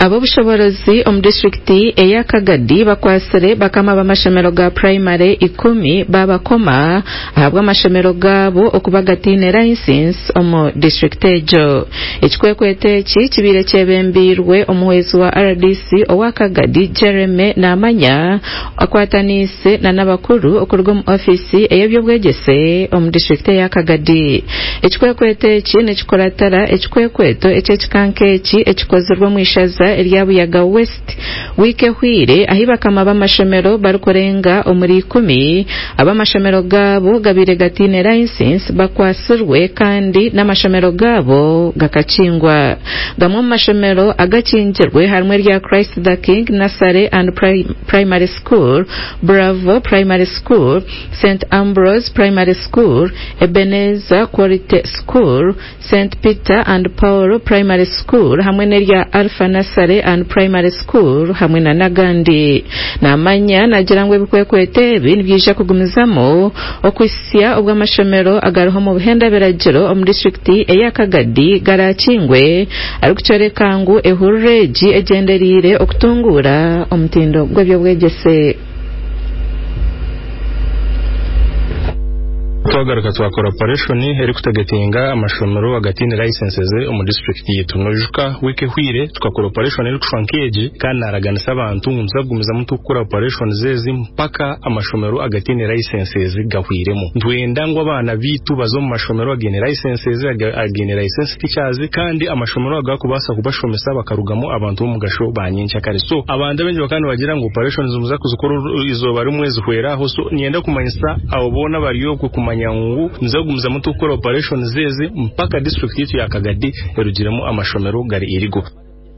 Ab'obushoboorozi omu disiturikiti eya Kagadi bakwatsire bakama b'amashomero ga purayimare ikumi babakoma ahabw'amashomero gaabo okuba gataine layisinsi omu disiturikiti egyo. Ekikwekweto eki kibaire kyebembeirwe omuhwezi wa RDC owa Kagadi, Jeremy Namanya akwataniise n'abakuru okuruga omu ofiisi ey'eby'obwegyese omu disiturikiti eya Kagadi. Ekikwekweto eki nikikuratira ekikwekweto eky'ekika nk'eki ekikozirwe omu ishaza erya Buyaga West wiiki ehweire ahi bakama b'amashomero barikurenga omuri ikumi ab'amashomero gaabo gabaire gataine layisinsi bakwatsirwe kandi n'amashomero gaabo gakakingwa. Gamwe omu mashomero agakingirwe harimu erya Christ the King Nursery and Primary School, Bravo Primary School, St Ambrose Primary School, Ebenezer Quality School, St Peter and Paul Primary School hamwe n'erya Alpha Nursery and Primary School hamwe na n'agandi. Namanya nagira ngu ebikwekweto ebi nibyija kugumizamu okuhitsya obu amashomero agariho omu buhenda biragiro omu disiturikiti eya Kagadi garakingwe arikukyoreka ngu ehururu egi egyendereire okutunguura omutindo gw'eby'obwegyese. Twagaruka twakora operation erikutagetinga amashomero agataine licenses omu district yaitu. Noijuka wiiki ehweire tukakora operation erikushusha nk'egi kandi naraganisa abantu ngu nituza kugumizamu turikukora operations ezi mpaka amashomero agataine licenses gahweiremu. Nitwenda ngu abaana baitu baze omu mashomero againe licenses, againe licensed teachers kandi amashomero ago garikubaasa kubashomesa bakarugamu abantu b'omugasho ba nyenkyakare. So abantu abaingi bakaba nibagira ngu operations nimuza kuzikora eizooba rimwe zihwere aho. So niinyenda kumanyisa abo boona abari okwe kumanya ngu niza kugumizamu turikukora operations ezi mpaka district yaitu ya Kagadi erugiremu amashomero gari illegal.